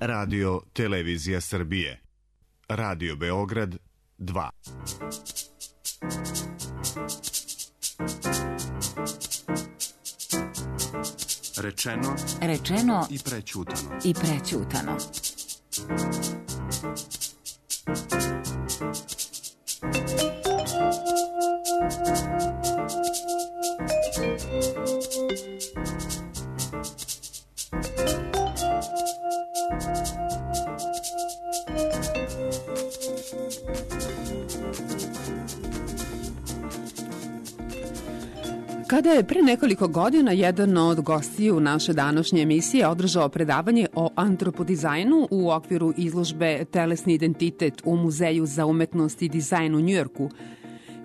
Radio Televizija Srbije. Radio Beograd 2. Rečeno i prećutano. Kada je pre nekoliko godina jedan od gostiju naše današnje emisije održao predavanje o antropodizajnu u okviru izložbe Telesni identitet u Muzeju za umetnost i dizajn u Njujorku,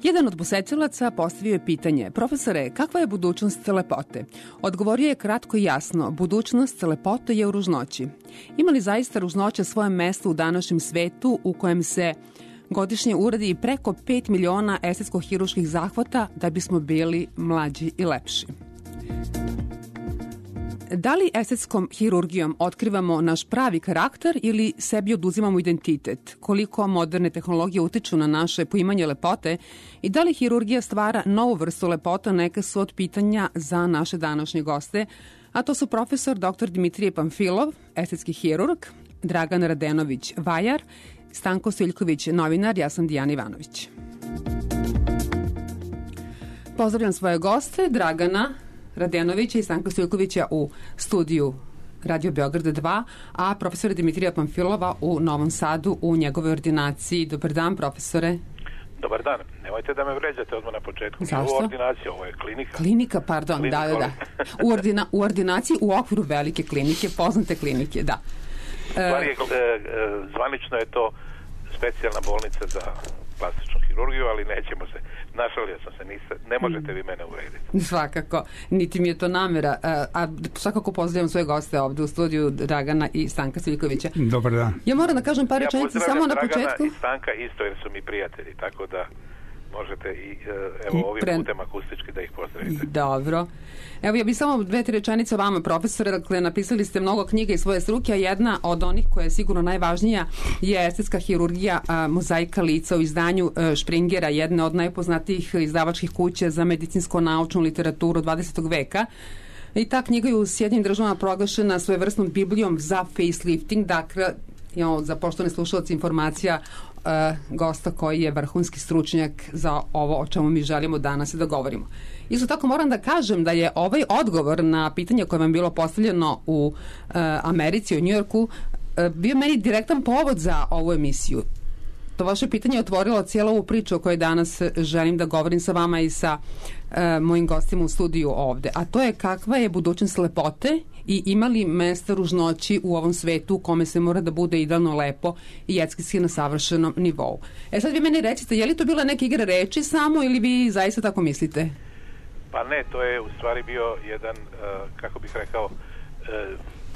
jedan od posetilaca postavio je pitanje: profesore, kakva je budućnost lepote? Odgovorio je kratko i jasno: budućnost lepote je u ružnoći. Ima li zaista ružnoća svoje mesto u današnjem svetu u kojem se godišnje uradi preko 5 miliona estetsko-hiruških zahvata da bismo bili mlađi i lepši? Da li estetskom hirurgijom otkrivamo naš pravi karakter ili sebi oduzimamo identitet? Koliko moderne tehnologije utiču na naše poimanje lepote i da li hirurgija stvara novu vrstu lepota? Neka su od pitanja za naše današnje goste, a to su profesor dr. Dimitrije Pamfilov, estetski hirurg, Dragan Radenović, vajar, Stanko Sviljković, novinar, ja sam Dijana Ivanović. Pozdravljam svoje goste, Dragana Radenovića i Stanka Sviljkovića u studiju Radio Beograd 2, a profesora Dimitrija Pamfilova u Novom Sadu u njegovoj ordinaciji. Dobar dan, profesore. Dobar dan. Nemojte da me vređate odmah na početku. Zašto? Ovo ordinacija, ovo je klinika. Klinika, pardon, klinika, da. U ordinaciji u okviru velike klinike, poznate klinike, da. Zvanično je to specijalna bolnica za plastičnu hirurgiju, ali nećemo se, našalio sam se, ne možete vi mene uvrediti. Svakako, niti mi je to namera, a svakako pozdravljam svoje goste ovde u studiju, Dragana i Stanka Sviljkovića. Dobar dan. Ja moram da kažem par rečenica samo na početku. Ja pozdravljam Dragana i Stanka isto jer su mi prijatelji, tako da možete i ovim putem akustički da ih pozdravite. Dobro. Evo, ja bih samo 2-3 rečenice o vama, profesore. Dakle, napisali ste mnogo knjiga iz svoje struke, a jedna od onih koja je sigurno najvažnija je estetska hirurgija, mozaika lica u izdanju Springera, jedne od najpoznatijih izdavačkih kuća za medicinsko-naučnu literaturu 20. veka. I ta knjiga je u Sjedinjenim državama proglašena svojevrsnom biblijom za facelifting, dakle, za poštovane slušalce informacija gosta koji je vrhunski stručnjak za ovo o čemu mi želimo danas da govorimo. Isto tako moram da kažem da je ovaj odgovor na pitanje koje vam je bilo postavljeno u Americi, u Njujorku, bio meni direktan povod za ovu emisiju. To vaše pitanje je otvorilo cijelu ovu priču o kojoj danas želim da govorim sa vama i sa mojim gostima u studiju ovde. A to je kakva je budućnost lepote i ima li mesta ružnoći u ovom svetu u kome se mora da bude idealno lepo i estetski na savršenom nivou. Sad vi meni recite, je li to bila neka igra reči samo ili vi zaista tako mislite? Pa ne, to je u stvari bio jedan, kako bih rekao,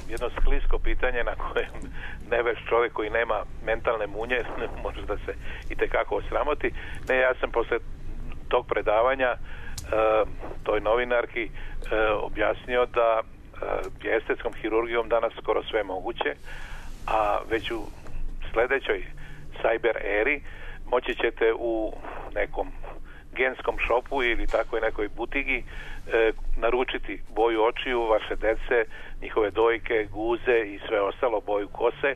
jedno sklisko pitanje na kojem neveš čovjek koji nema mentalne munje može da se itekako osramoti. Ne, ja sam posle tog predavanja toj novinarki objasnio da je estetskom hirurgijom danas skoro sve moguće, a već u sledećoj cyber eri moći ćete u nekom genskom šopu ili takvoj nekoj butigi naručiti boju očiju vaše dece, njihove dojke, guze i sve ostalo, boju kose,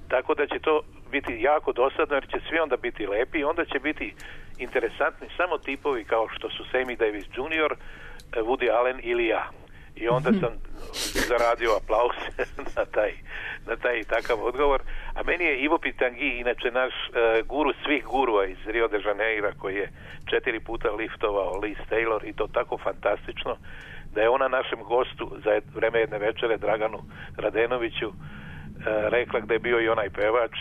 tako da će to biti jako dosadno jer će svi onda biti lepi i onda će biti interesantni samo tipovi kao što su Sammy Davis Jr., Woody Allen ili ja. I onda sam zaradio aplauz na taj takav odgovor. A meni je Ivo Pitangi, inače naš guru svih gurua iz Rio de Janeira, koji je 4 puta liftovao Liz Taylor i to tako fantastično, da je ona našem gostu za vreme jedne večere, Draganu Radenoviću, rekla gde je bio i onaj pevač,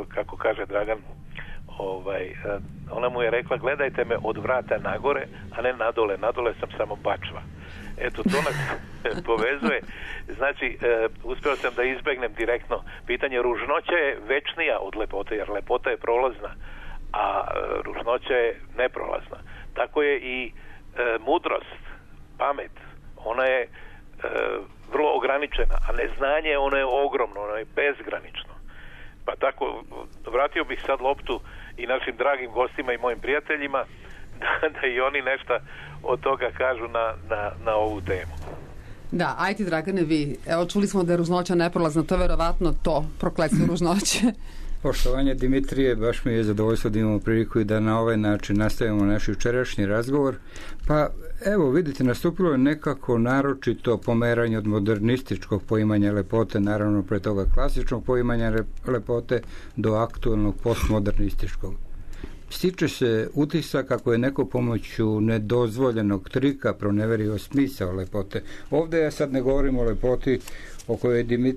kako kaže Dragan, ona mu je rekla: gledajte me od vrata nagore, a ne nadole sam samo bačva. Eto, to nas povezuje. Znači, uspeo sam da izbegnem direktno pitanje. Ružnoća je večnija od lepote, jer lepota je prolazna, a ružnoća je neprolazna. Tako je i mudrost, pamet. Ona je vrlo ograničena, a neznanje ono je ogromno, ono je bezgranično. Pa tako, vratio bih sad loptu i našim dragim gostima i mojim prijateljima da i oni nešto od toga kažu na ovu temu. Da, ajde Dragane vi. Evo, čuli smo da je ružnoća neprolazna, to je verovatno to, prokletstvo ružnoće. Poštovanje Dimitrije, baš mi je zadovoljstvo da imamo priliku i da na ovaj način nastavimo naš jučerašnji razgovor. Pa evo vidite, nastupilo je nekako naročito pomeranje od modernističkog poimanja lepote, naravno pre toga klasičnog poimanja lepote, do aktualnog postmodernističkog. Stiče se utisak kako je neko pomoću nedozvoljenog trika proneverio smisao lepote. Ovdje ja sad ne govorim o lepoti o kojoj je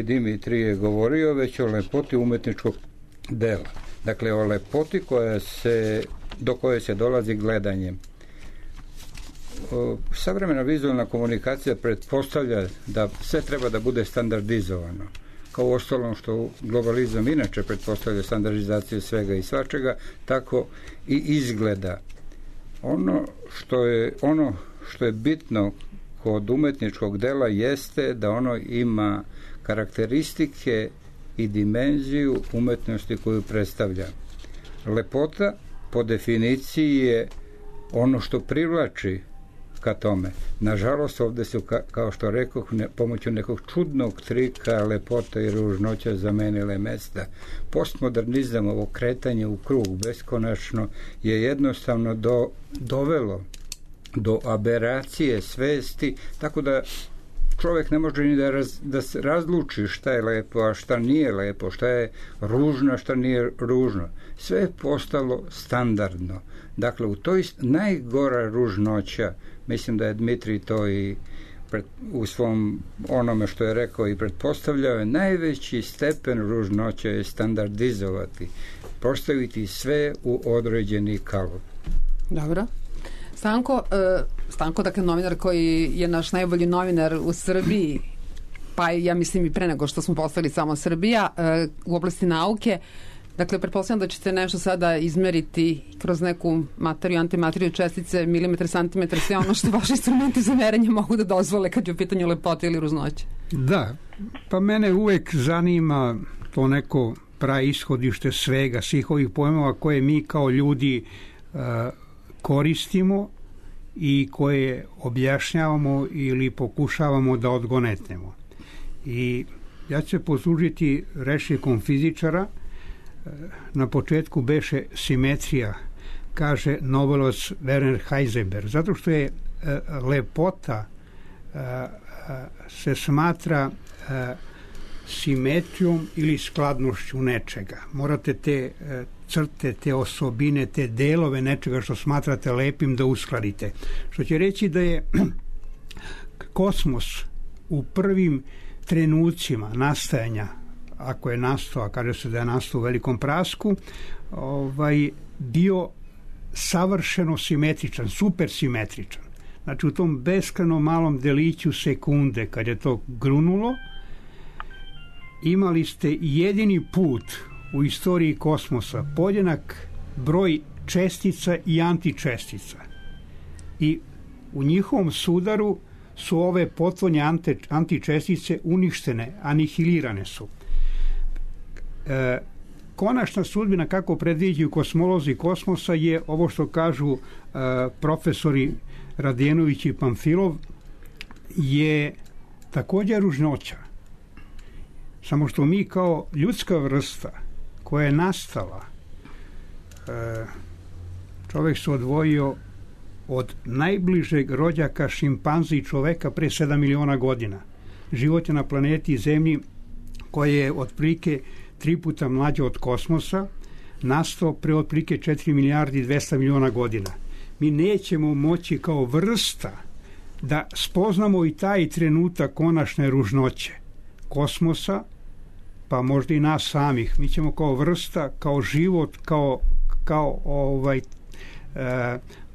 Dimitrije govorio, već o lepoti umetničkog dela. Dakle, o lepoti do koje se dolazi gledanjem. Savremena vizualna komunikacija pretpostavlja da sve treba da bude standardizovano. Kao ostalom što globalizam inače pretpostavlja standardizaciju svega i svačega, tako i izgleda. Ono što je bitno kod umetničkog dela jeste da ono ima karakteristike i dimenziju umetnosti koju predstavlja. Lepota po definiciji je ono što privlači ka tome. Nažalost, ovdje su, kao što rekoh, pomoću nekog čudnog trika lepota i ružnoća zamenile mesta. Postmodernizam, ovo kretanje u krug beskonačno, je jednostavno dovelo do aberacije svesti, tako da čovjek ne može ni da se razluči šta je lepo, a šta nije lepo, šta je ružno, a šta nije ružno. Sve je postalo standardno. Dakle, u toj najgora ružnoća, mislim da je Dmitrij to i u svom onome što je rekao i pretpostavljao, je najveći stepen ružnoća je standardizovati, postaviti sve u određeni kalup. Dobro. Stanko, dakle, novinar koji je naš najbolji novinar u Srbiji, pa ja mislim i pre nego što smo postali samo Srbija, u oblasti nauke. Dakle, pretpostavljam da ćete nešto sada izmeriti kroz neku materiju, antimateriju, čestice, milimetre, santimetre, sve ono što vaši instrumenti za merenje mogu da dozvole kad je u pitanju lepote ili ružnoće. Da, pa mene uvek zanima to neko praishodište svega, svih ovih pojmova koje mi kao ljudi koristimo i koje objašnjavamo ili pokušavamo da odgonetnemo. I ja ću se poslužiti rečnikom fizičara. Na početku beše simetrija, kaže nobelovac Werner Heisenberg, zato što je lepota se smatra simetrijom ili skladnošću nečega. Morate te crte, te osobine, te delove nečega što smatrate lepim da uskladite. Što će reći da je kosmos u prvim trenucima nastajanja, ako je nastao, a kaže se da je nastao u velikom prasku, bio savršeno simetričan, supersimetričan. Znači u tom beskrajno malom deliću sekunde, kad je to grunulo, imali ste jedini put u istoriji kosmosa podjednak broj čestica i antičestica. I u njihovom sudaru su ove potvorne antičestice uništene, anihilirane su. Konačna sudbina, kako predviđaju kosmolozi kosmosa, je ovo što kažu profesori Radjenović i Pamfilov, je također ružnoća. Samo što mi kao ljudska vrsta koja je nastala, čovjek se odvojio od najbližeg rođaka šimpanzi i čoveka pre 7 miliona godina. Život je na planeti Zemlji koja je otprilike 3 puta mlađa od kosmosa, nastao pre otprilike 4 milijardi i 200 miliona godina. Mi nećemo moći kao vrsta da spoznamo i taj trenutak konačne ružnoće kosmosa, pa možda i nas samih. Mi ćemo kao vrsta, kao život, kao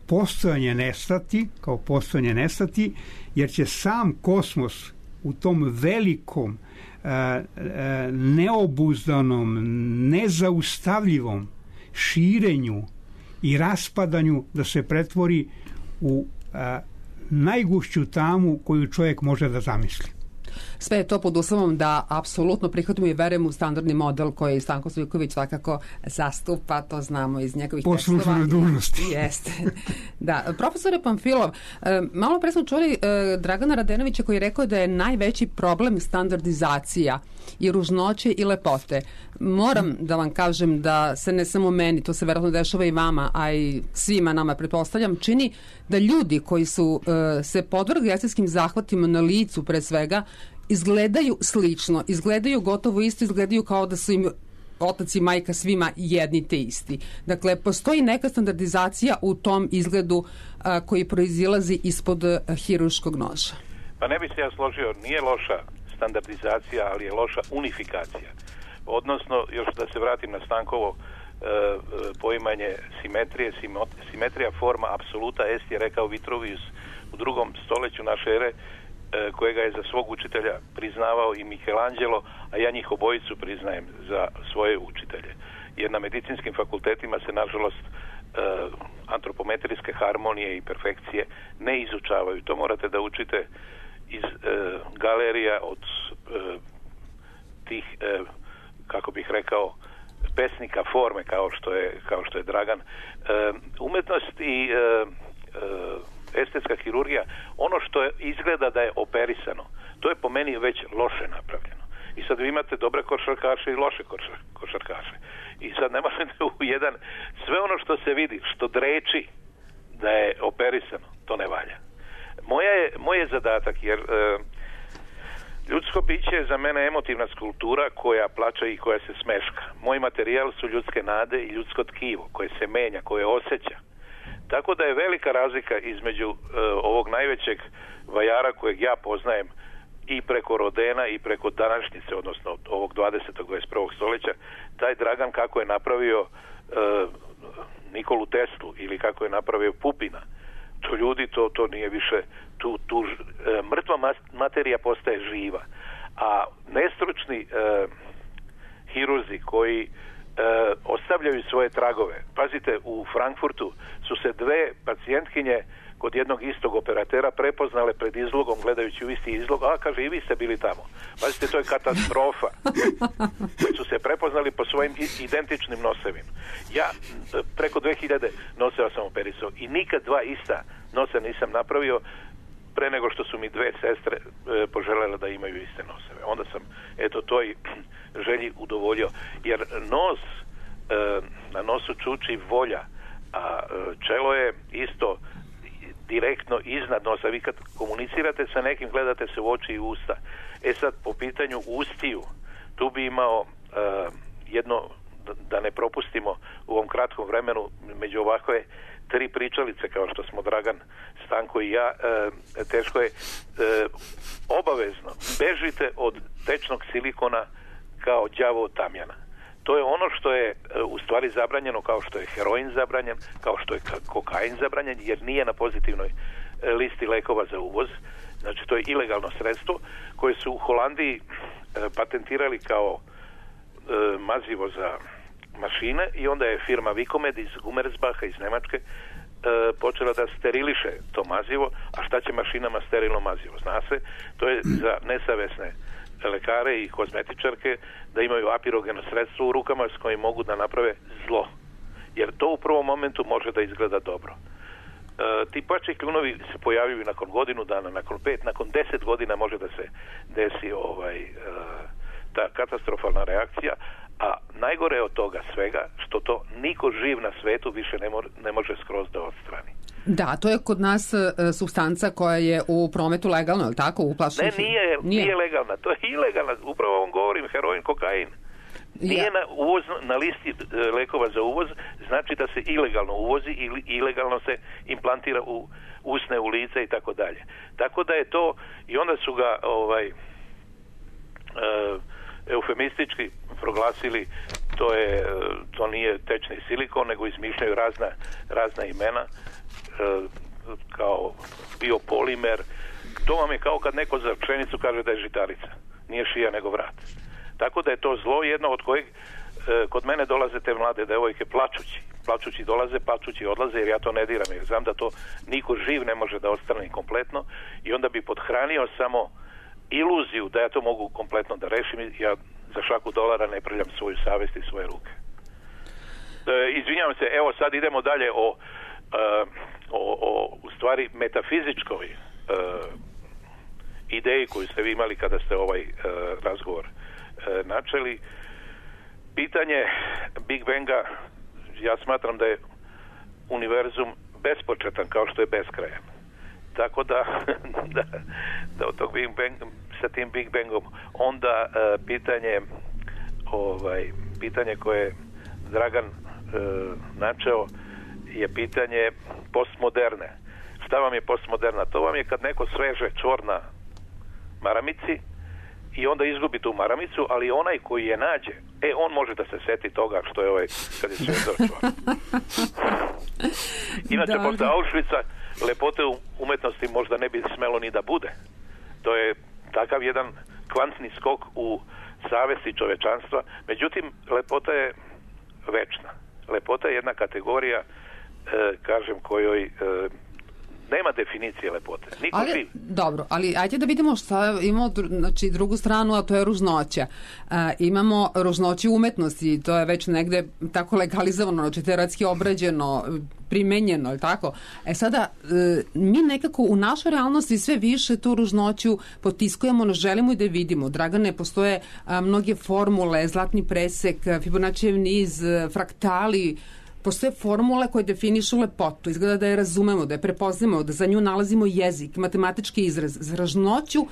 postojanje nestati, jer će sam kosmos u tom velikom, neobuzdanom, nezaustavljivom širenju i raspadanju da se pretvori u najgušću tamu koju čovjek može da zamisli. Sve je to pod uslovom da apsolutno prihvatimo i verujemo u standardni model koji Stanko Stojković svakako zastupa, to znamo iz njegovih tekstova. Po službenoj dužnosti. Jeste. Da, profesore Pamfilov, malo pre smo čuli Dragana Radenovića koji je rekao da je najveći problem standardizacija i ružnoće i lepote. Moram da vam kažem da se ne samo meni, to se verovatno dešava i vama, a i svima nama, pretpostavljam, čini da ljudi koji su se podvrgli estetskim zahvatima na licu pre svega, izgledaju slično, izgledaju gotovo isto, izgledaju kao da su im otac i majka svima jedni te isti. Dakle, postoji neka standardizacija u tom izgledu koji proizilazi ispod hirurškog noža. Pa ne bi se ja složio, nije loša standardizacija, ali je loša unifikacija. Odnosno, još da se vratim na Stankovo poimanje simetrije, simetrija forma apsoluta est je rekao Vitruvius u 2. stoljeću naše ere, kojega je za svog učitelja priznavao i Michelangelo, a ja njih obojicu priznajem za svoje učitelje. Jer na medicinskim fakultetima se, nažalost, antropometrijske harmonije i perfekcije ne izučavaju. To morate da učite iz galerija od tih, kako bih rekao, pesnika forme, kao što je Dragan. Umetnost i estetska hirurgija, ono što izgleda da je operisano, to je po meni već loše napravljeno. I sad vi imate dobre košarkaše i loše košarkaše. I sad ne možete u jedan, sve ono što se vidi, što dreči da je operisano, to ne valja. Moj je zadatak, jer ljudsko biće je za mene emotivna skulptura koja plače i koja se smeška. Moj materijal su ljudske nade i ljudsko tkivo koje se menja, koje osjeća. Tako da je velika razlika između ovog najvećeg vajara kojeg ja poznajem i preko Rodena i preko današnjice, odnosno ovog 20. 21. stoljeća, taj Dragan kako je napravio Nikolu Teslu ili kako je napravio Pupina. To ljudi, to nije više, tu mrtva materija postaje živa. A nestručni hirurzi koji ostavljaju svoje tragove. Pazite, u Frankfurtu su se 2 pacijentkinje kod jednog istog operatera prepoznale pred izlogom, gledajući u isti izlog. Kaže, i vi ste bili tamo. Pazite, to je katastrofa. Su se prepoznali po svojim identičnim nosevima. Ja preko 2000 noseva sam operisao i nikad 2 ista nosa nisam napravio pre nego što su mi 2 sestre poželjele da imaju iste noseve. Onda sam, toj želji udovoljio. Jer na nosu čuči volja, a čelo je isto direktno iznad nosa. Vi kad komunicirate sa nekim, gledate se u oči i usta. Sad, po pitanju ustiju, tu bi imao jedno, da ne propustimo u ovom kratkom vremenu, među ovakve 3 pričalice, kao što smo Dragan, Stanko i ja, teško je, obavezno bežite od tečnog silikona kao đavo od tamjana. To je ono što je u stvari zabranjeno, kao što je heroin zabranjen, kao što je kokain zabranjen, jer nije na pozitivnoj listi lekova za uvoz. Znači, to je ilegalno sredstvo koje su u Holandiji patentirali kao mazivo za mašine i onda je firma Vikomed iz Gumersbacha iz Nemačke počela da steriliše to mazivo. A šta će mašinama sterilno mazivo? Zna se, to je za nesavesne lekare i kozmetičarke da imaju apirogeno sredstvo u rukama s kojim mogu da naprave zlo. Jer to u prvom momentu može da izgleda dobro. Ti pačji kljunovi se pojavljuju nakon godinu dana, nakon 5, nakon 10 godina može da se desi ta katastrofalna reakcija, a najgore je od toga svega što to niko živ na svetu više ne može skroz da odstrani. Da, to je kod nas supstanca koja je u prometu legalna, je li tako? Ne, nije legalna, to je ilegalna, upravo vam govorim, heroin, kokain. Nije na listi lekova za uvoz, znači da se ilegalno uvozi ili ilegalno se implantira u usne, u lice i tako dalje. Tako da je to, i onda su ga eufemistički proglasili, to nije tečni silikon, nego izmišljaju razna imena, kao biopolimer. To vam je kao kad neko za pšenicu kaže da je žitarica. Nije šija nego vrat. Tako da je to zlo jedno od kojeg kod mene dolaze te mlade devojke plačući. plačući dolaze, plačući odlaze, jer ja to ne diram, jer znam da to niko živ ne može da ostane kompletno i onda bi podhranio samo iluziju da ja to mogu kompletno da rešim. Ja za šaku dolara ne prljam svoju savest i svoje ruke. Izvinjavam se, evo sad idemo dalje o u stvari metafizičkoj ideji koju ste vi imali kada ste ovaj razgovor načeli. Pitanje Big Banga, ja smatram da je univerzum bespočetan kao što je beskrajan. Tako da od tog Big Banga, sa tim Big Bangom onda pitanje koje je Dragan načeo je pitanje postmoderne. Šta vam je postmoderna? To vam je kad neko sveže čvor na maramici i onda izgubi tu maramicu, ali onaj koji je nađe, on može da se seti toga što je kad je svežao čvor. Inače, posle Auschwitza lepote umetnosti možda ne bi smelo ni da bude. To je takav jedan kvantni skok u savesti čovečanstva. Međutim, lepota je večna. Lepota je jedna kategorija, kažem, kojoj nema definicije lepote. Dobro, ali ajde da vidimo šta imamo, znači drugu stranu, a to je ružnoća. Imamo ružnoću umetnosti, to je već negde tako legalizovano, znači teoretski obrađeno, primenjeno, ili tako? Sada, mi nekako u našoj realnosti sve više tu ružnoću potiskujemo, no želimo i da je vidimo. Dragane, postoje mnoge formule, zlatni presek, Fibonaccijev niz, fraktali, postoje formule koje definišu lepotu, izgleda da je razumemo, da je prepoznamo, da za nju nalazimo jezik, matematički izraz. Za ružnoću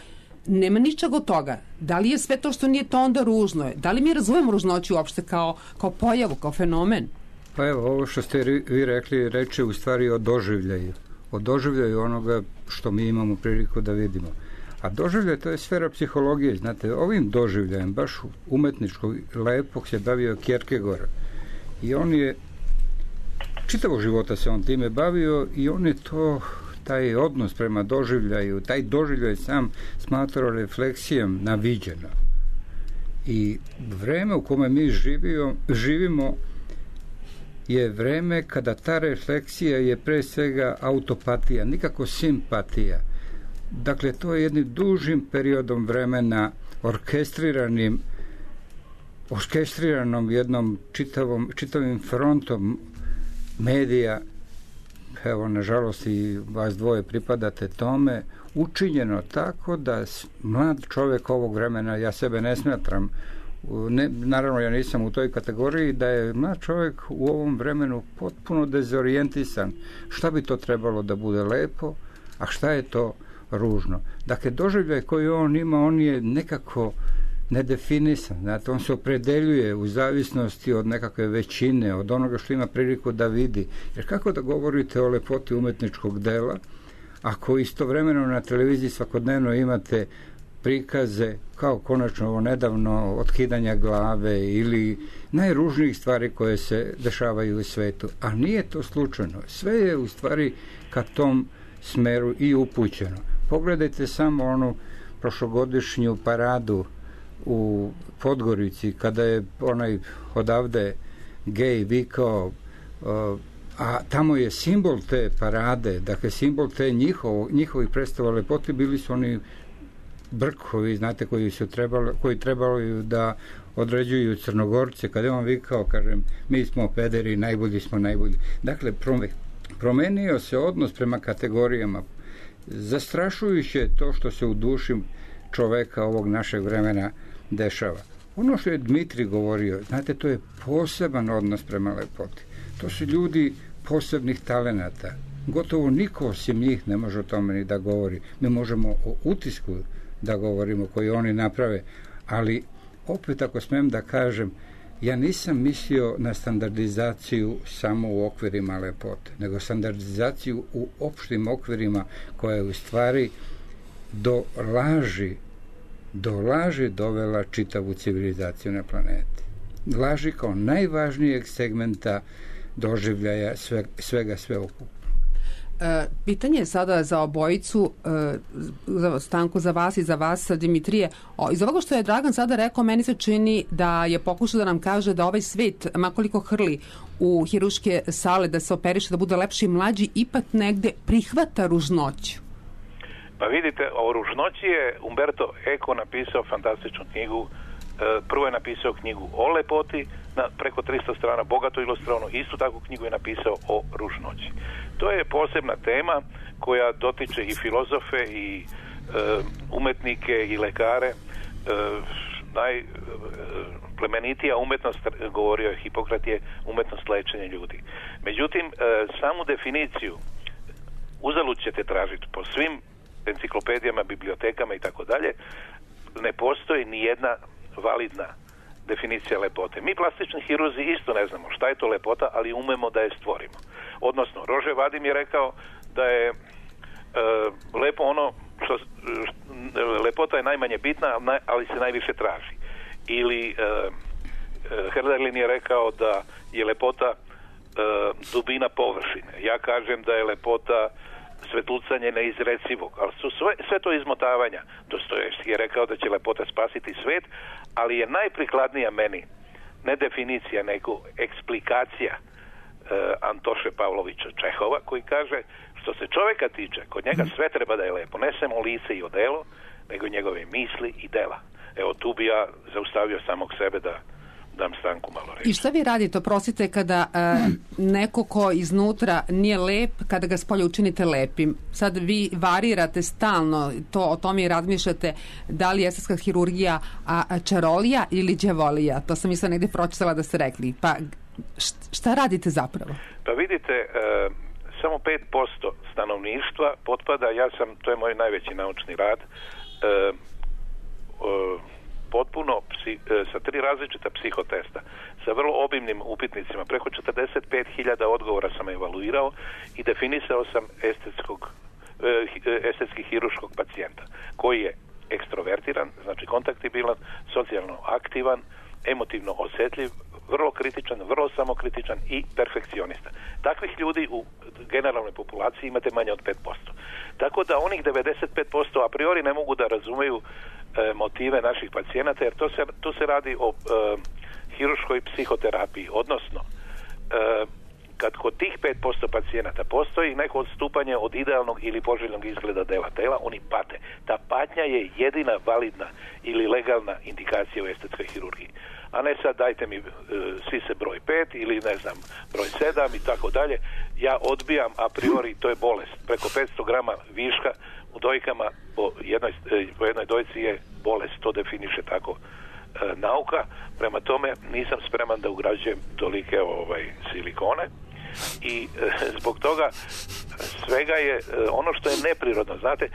nema ničeg od toga. Da li je sve to što nije to onda ružno? Da li mi razumemo ružnoću uopšte kao pojavu, kao fenomen? Pa evo, ovo što ste vi rekli, reče u stvari o doživljaju. O doživljaju onoga što mi imamo priliku da vidimo. A doživljaj, to je sfera psihologije. Znate, ovim doživljajem, baš umetničkog, lepog se bavio Kierkegaard. I on je čitavog života se on time bavio i on je taj odnos prema doživljaju, taj doživljaj sam smatrao refleksijom na viđeno. I vreme u kome mi živimo je vreme kada ta refleksija je pre svega autopatija, nikako simpatija. Dakle, to je jednim dužim periodom vremena orkestriranom jednom čitavim frontom medija, evo, nažalost i vas dvoje pripadate tome, učinjeno tako da mlad čovjek ovog vremena, ja sebe ne smatram, naravno ja nisam u toj kategoriji, da je mlad čovjek u ovom vremenu potpuno dezorijentisan. Šta bi to trebalo da bude lepo, a šta je to ružno? Dakle, doživljaj koji on ima, on je nekako nedefinisan. Znate, on se opredeljuje u zavisnosti od nekakve većine, od onoga što ima priliku da vidi. Jer kako da govorite o lepoti umetničkog dela, ako istovremeno na televiziji svakodnevno imate prikaze, kao konačno ovo nedavno, otkidanja glave ili najružnijih stvari koje se dešavaju u svetu. A nije to slučajno. Sve je u stvari ka tom smeru i upućeno. Pogledajte samo onu prošlogodišnju paradu u Podgorici, kada je onaj odavde gej vikao, a tamo je simbol te parade, dakle simbol te njihovih predstava lepote, bili su oni brkovi, znate, koji trebali da određuju Crnogorce. Kada je on vikao, kažem, mi smo pederi, najbolji smo najbolji. Dakle, promenio se odnos prema kategorijama. Zastrašujuće je to što se u duši čoveka ovog našeg vremena dešava. Ono što je Dmitri govorio, znate, to je poseban odnos prema lepoti. To su ljudi posebnih talenata. Gotovo niko osim njih ne može o tome ni da govori. Mi možemo o utisku da govorimo koji oni naprave, ali opet, ako smem da kažem, ja nisam mislio na standardizaciju samo u okvirima lepote, nego standardizaciju u opštim okvirima koja je u stvari do laži dovela čitavu civilizaciju na planeti. Laži kao najvažnijeg segmenta doživljaja svega sveukupno. Pitanje je sada za obojicu, Stanko za vas i za vas, Dimitrije. Iz ovoga što je Dragan sada rekao, meni se čini da je pokušao da nam kaže da ovaj svet, makoliko hrli u hirurške sale da se operiše, da bude lepši i mlađi, ipak negde prihvata ružnoću. Pa vidite, o ružnoći je Umberto Eco napisao fantastičnu knjigu. Prvo je napisao knjigu o lepoti na preko 300 strana, bogato ilustrovano. Istu takvu knjigu je napisao o ružnoći. To je posebna tema koja dotiče i filozofe i umetnike i lekare. Najplemenitija umetnost, govorio je Hipokrat, je umetnost lečenja ljudi. Međutim, samu definiciju uzalud ćete tražiti po svim enciklopedijama, bibliotekama i tako dalje. Ne postoji ni jedna validna definicija lepote. Mi plastični hirurzi isto ne znamo šta je to lepota, ali umemo da je stvorimo. Odnosno, Rože Vadim je rekao da je lepo ono što lepota je najmanje bitna, ali se najviše traži. Ili Hölderlin je rekao da je lepota dubina površine. Ja kažem da je lepota svetlucanje neizrecivog, ali su sve to izmotavanja. Dostojevski je rekao da će lepota spasiti svet, ali je najprikladnija meni ne definicija, nego eksplikacija Antoše Pavlovića Čehova, koji kaže, što se čovjeka tiče, kod njega sve treba da je lepo, ne samo lice i odelo, nego njegove misli i dela. Evo, tu bi ja zaustavio samog sebe da dam Stanku malo reći. I šta vi radite, oprostite, kada neko ko iznutra nije lep, kada ga spolja učinite lepim? Sad vi varirate stalno, o tome i razmišljate, da li je estetska hirurgija čarolija ili đavolija? To sam isto negdje pročitala da ste rekli. Pa šta radite zapravo? Pa vidite, samo 5% stanovništva potpada, to je moj najveći naučni rad, potpuno sa 3 različita psihotesta, sa vrlo obimnim upitnicima, preko 45.000 odgovora sam evaluirao i definisao sam estetski hirurškog pacijenta, koji je ekstrovertiran, znači kontaktibilan, socijalno aktivan, emotivno osjetljiv, vrlo kritičan, vrlo samokritičan i perfekcionista. Takvih ljudi u generalnoj populaciji imate manje od 5%. Tako da onih 95% a priori ne mogu da razumeju motive naših pacijenata, jer tu se radi o hirurškoj psihoterapiji, odnosno kad kod tih 5% pacijenata postoji neko odstupanje od idealnog ili poželjnog izgleda dela tela, oni pate. Ta patnja je jedina validna ili legalna indikacija u estetskoj hirurgiji. A ne sad dajte mi sise broj 5 ili ne znam broj 7 i tako dalje. Ja odbijam a priori, to je bolest. Preko 500 grama viška u dojkama po jednoj dojci je bolest, to definiše tako nauka. Prema tome nisam spreman da ugrađujem tolike silikone i zbog toga svega je ono što je neprirodno. Znate,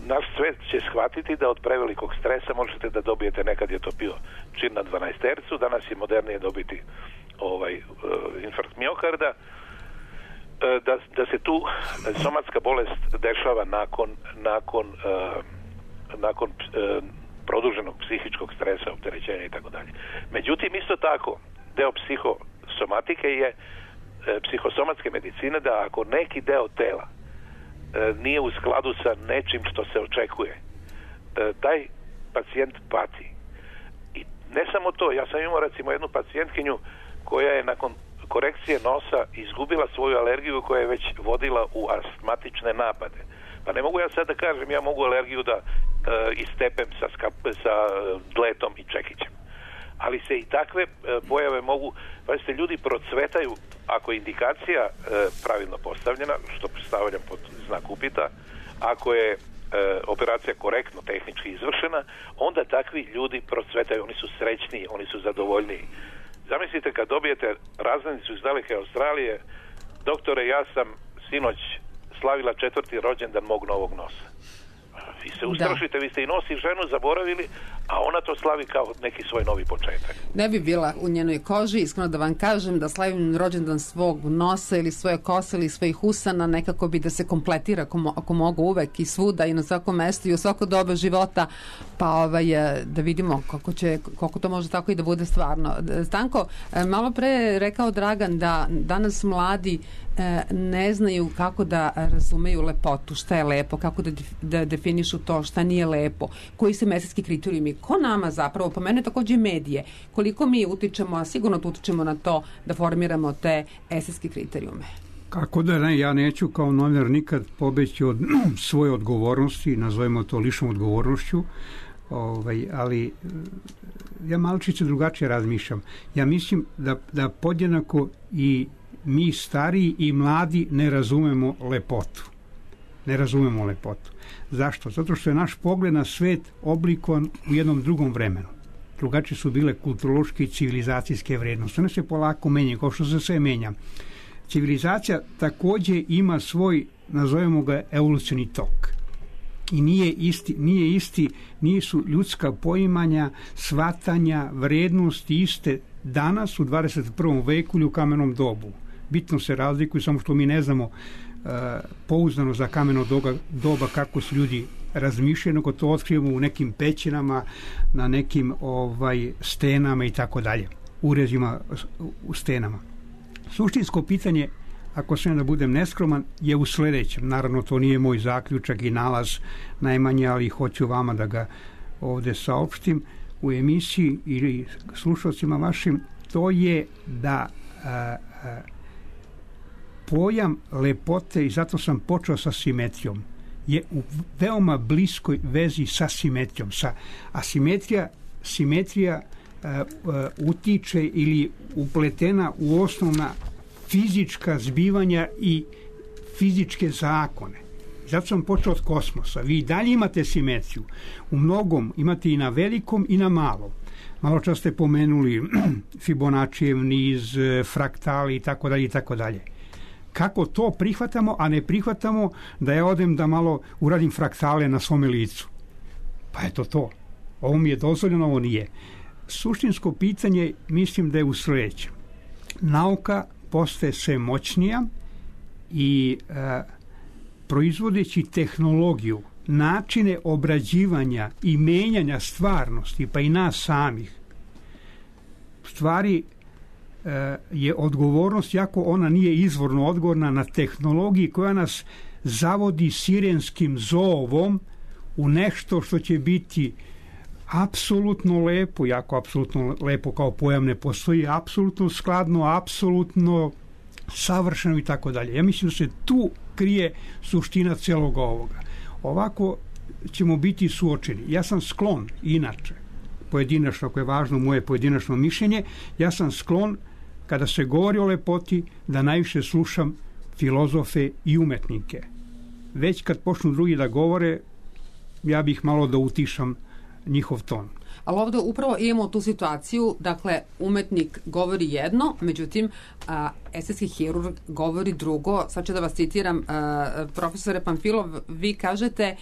naš svet će shvatiti da od prevelikog stresa možete da dobijete, nekad je to bio čin na 12 tercu, danas je modernije dobiti infarkt miokarda, da se tu somatska bolest dešava nakon produženog psihičkog stresa, opterećenja i tako dalje. Međutim, isto tako, deo psihosomatike je psihosomatske medicine, da ako neki deo tela nije u skladu sa nečim što se očekuje, taj pacijent pati. I ne samo to, ja sam imao recimo jednu pacijentkinju koja je nakon korekcije nosa izgubila svoju alergiju koja je već vodila u astmatične napade. Pa ne mogu ja sad da kažem, ja mogu alergiju da istepem sa dletom i čekićem. Ali se i takve pojave mogu, pazite, ljudi procvetaju ako je indikacija pravilno postavljena, što stavljam pod znak upita, ako je operacija korektno tehnički izvršena, onda takvi ljudi procvetaju, oni su srećniji, oni su zadovoljniji. Zamislite kad dobijete razglednicu iz daleke Australije, doktore, ja sam sinoć slavila 4. rođendan mog novog nosa. Vi se ustrašite, vi ste i nos i ženu zaboravili, a ona to slavi kao neki svoj novi početak. Ne bi bila u njenoj koži, iskreno da vam kažem, da slavim rođendan svog nosa ili svoje kose ili svojih usana, nekako bi da se kompletira ako mogu uvek i svuda i na svakom mestu i u svako doba života, pa da vidimo koliko to može tako i da bude stvarno. Stanko, malo pre je rekao Dragan da danas mladi ne znaju kako da razumeju lepotu, šta je lepo, kako da definišu to, šta nije lepo, koji su estetski kriterijumi, ko nama zapravo, po mene takođe medije, koliko mi utičemo, a sigurno utičemo na to da formiramo te estetske kriterijume. Kako da ne, ja neću kao novinar nikad pobeći od svoje odgovornosti, nazovemo to ličnom odgovornošću, ali ja malčice drugačije razmišljam. Ja mislim da podjednako i mi stariji i mladi ne razumemo lepotu. Ne razumemo lepotu. Zašto? Zato što je naš pogled na svet oblikovan u jednom drugom vremenu. Drugačije su bile kulturološke i civilizacijske vrednosti. One se polako menjaju, kao što se sve menja. Civilizacija takođe ima svoj, nazovemo ga, evolucioni tok. I nisu ljudska poimanja, shvatanja, vrednosti iste danas u 21. veku ili u kamenom dobu. Bitno se razlikuju, samo što mi ne znamo pouzdano za kameno doba kako su ljudi razmišljaju, nego to otkrivamo u nekim pećinama, na nekim stenama i tako dalje, urezima u stenama. Suštinsko pitanje, ako sam da budem neskroman, je u sledećem. Naravno, to nije moj zaključak i nalaz najmanje, ali hoću vama da ga ovde saopštim u emisiji ili slušalcima vašim. To je da pojam lepote, i zato sam počeo sa simetrijom, je u veoma bliskoj vezi sa simetrijom. Simetrija utiče ili upletena u osnovna fizička zbivanja i fizičke zakone. Zato sam počeo od kosmosa. Vi dalje imate simetriju. U mnogom imate i na velikom i na malom. Malo čas ste pomenuli Fibonaccijev niz, fraktali i tako dalje i tako dalje. Kako to prihvatamo, a ne prihvatamo da ja odem da malo uradim fraktale na svome licu? Pa eto to. Ovo mi je dozvoljeno, ovo nije. Suštinsko pitanje mislim da je u sledećem. Nauka postaje sve moćnija i proizvodeći tehnologiju, načine obrađivanja i menjanja stvarnosti, pa i nas samih, stvari je odgovornost, jako ona nije izvorno odgovorna, na tehnologiji koja nas zavodi sirenskim zovom u nešto što će biti apsolutno lepo, jako apsolutno lepo kao pojam ne postoji, apsolutno skladno, apsolutno savršeno i tako dalje. Ja mislim da se tu krije suština celog ovoga. Ovako ćemo biti suočeni. Ja sam sklon, inače, pojedinačno, ako je važno moje pojedinačno mišljenje, ja sam sklon, kada se govori o lepoti, da najviše slušam filozofe i umetnike. Već kad počnu drugi da govore, ja bih malo da utišam njihov ton. Ali ovdje upravo imamo tu situaciju, dakle, umetnik govori jedno, međutim, estetski hirurg govori drugo. Sad ću da vas citiram, profesore Pamfilov, vi kažete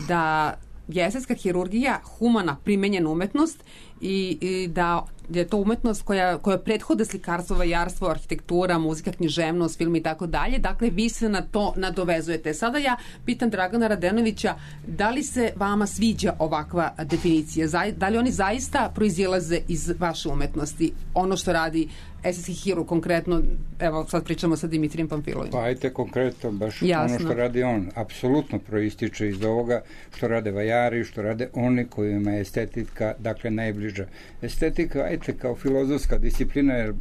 da je estetska hirurgija humana primenjena umetnost i da je to umetnost koja prethode slikarstvo, vajarstvo, arhitektura, muzika, književnost, film i tako dalje. Dakle, vi se na to nadovezujete. Sada ja pitam Dragana Radenovića, da li se vama sviđa ovakva definicija? Da li oni zaista proizilaze iz vaše umetnosti? Ono što radi estetski hirurg konkretno, evo sad pričamo sa Dimitrijem Pamfilovim. Pa ajte konkretno, baš jasno. Ono što radi on, apsolutno proističe iz ovoga što rade vajari, što rade oni kojima je estetika, dakle, najbliža. Estetika, ajte, kao filozofska disciplina, jer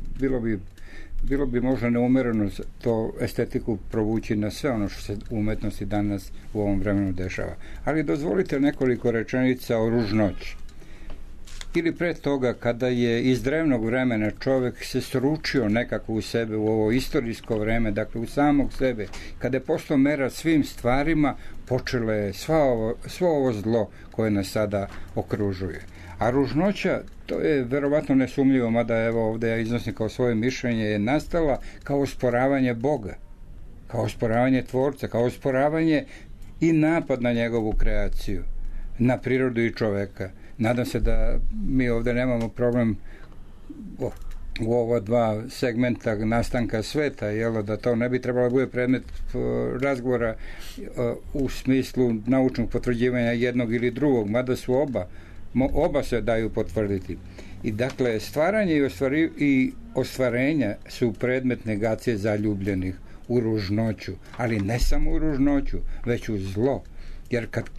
bilo bi možda neumereno to estetiku provući na sve ono što se u umetnosti danas u ovom vremenu dešava. Ali dozvolite nekoliko rečenica o ružnoći. Ili pre toga, kada je iz drevnog vremena čovek se sručio nekako u sebe u ovo istorijsko vreme, dakle u samog sebe, kada je postao mera svim stvarima, počelo je svo ovo zlo koje nas sada okružuje. A ružnoća, to je verovatno nesumljivo, mada evo ovde ja iznosim kao svoje mišljenje, je nastala kao osporavanje Boga, kao osporavanje Tvorca, kao osporavanje i napad na njegovu kreaciju, na prirodu i čoveka. Nadam se da mi ovde nemamo problem u ova dva segmenta nastanka sveta, jel, da to ne bi trebalo bude predmet razgovora u smislu naučnog potvrđivanja jednog ili drugog, mada su oba se daju potvrditi. I dakle, stvaranje i ostvarenja su predmet negacije zaljubljenih. u ružnoću, ali ne samo u ružnoću, već u zlo. Jer kad,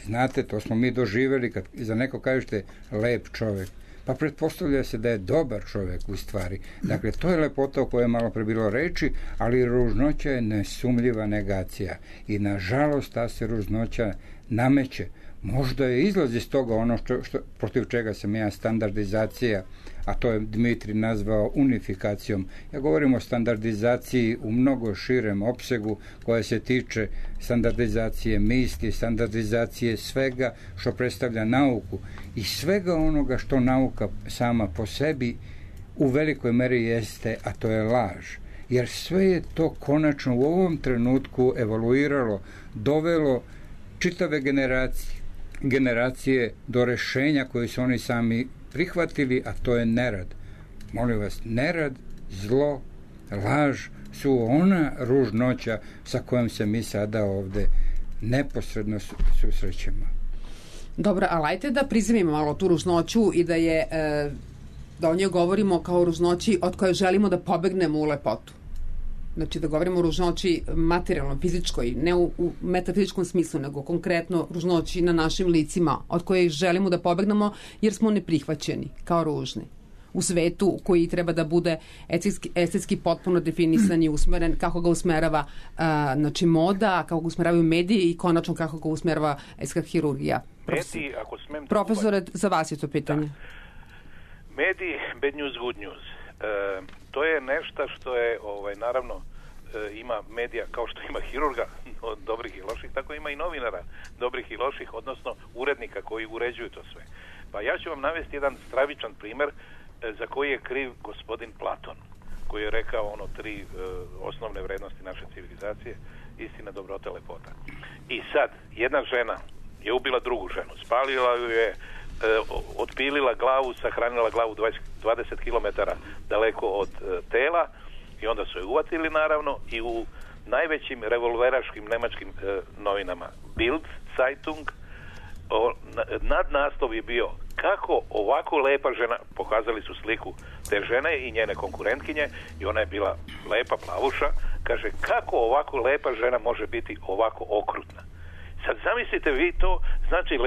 znate, to smo mi doživjeli, kad za neko kažete lep čovjek, pa pretpostavlja se da je dobar čovjek u stvari. Dakle, to je lepota o kojoj je malo pre bilo reči, ali ružnoća je nesumljiva negacija. I nažalost ta se ružnoća nameće. Možda je izlaz iz toga ono protiv čega sam ja standardizacija, a to je Dmitri nazvao unifikacijom. Ja govorim o standardizaciji u mnogo širem opsegu koja se tiče standardizacije misli, standardizacije svega što predstavlja nauku i svega onoga što nauka sama po sebi u velikoj meri jeste, a to je laž. Jer sve je to konačno u ovom trenutku evoluiralo, dovelo čitave generacije do rešenja koje su oni sami prihvatili, a to je nerad. Molim vas, nerad, zlo, laž su ona ružnoća sa kojom se mi sada ovde neposredno susrećemo. Dobro, ali ajte da prizemimo malo tu ružnoću i da o njoj govorimo kao o ružnoći od koje želimo da pobegnemo u lepotu. Znači da govorimo o ružnoći materijalno, fizičkoj, ne u metafizičkom smislu, nego konkretno ružnoći na našim licima, od koje želimo da pobegnemo jer smo neprihvaćeni kao ružni. U svetu koji treba da bude estetski potpuno definisan i usmeren, kako ga usmerava znači moda, kako ga usmeravaju mediji i konačno kako ga usmerava estetska hirurgija. Mediji, ako smem... Profesore, za vas je to pitanje. Da. Mediji, bad news, good news. To je nešto što je, naravno, ima medija kao što ima hirurga dobrih i loših, tako ima i novinara dobrih i loših, odnosno urednika koji uređuju to sve. Pa ja ću vam navesti jedan stravičan primer za koji je kriv gospodin Platon, koji je rekao 3 osnovne vrednosti naše civilizacije, istina, dobrota, lepota. I sad, jedna žena je ubila drugu ženu, spalila ju je, otpilila glavu, sahranila glavu 20 km daleko od tela i onda su je uvatili naravno i u najvećim revolveraškim nemačkim novinama Bild Zeitung nadnaslov je bio kako ovako lepa žena, pokazali su sliku te žene i njene konkurentkinje i ona je bila lepa plavuša, kaže kako ovako lepa žena može biti ovako okrutna. Sad zamislite vi to, znači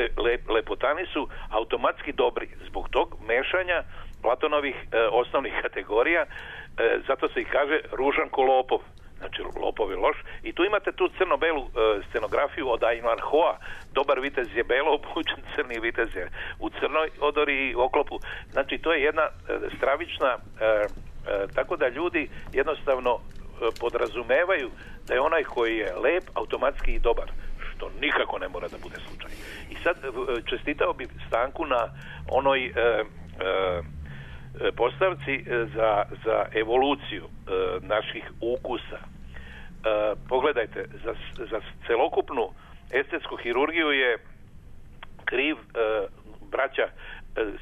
lepotani su automatski dobri zbog tog mešanja Platonovih osnovnih kategorija, zato se ih kaže ružan ko lopov, znači lopov je loš. I tu imate tu crno-belu scenografiju od Ayn Hoa, dobar vitez je belo obučen, crni vitez je u crnoj odori i oklopu. Znači to je jedna stravična, tako da ljudi jednostavno podrazumevaju da je onaj koji je lep automatski i dobar, što nikako ne mora da bude slučaj. I sad čestitao bi Stanku na onoj postavci za evoluciju naših ukusa. Pogledajte, za celokupnu estetsku hirurgiju je kriv, braća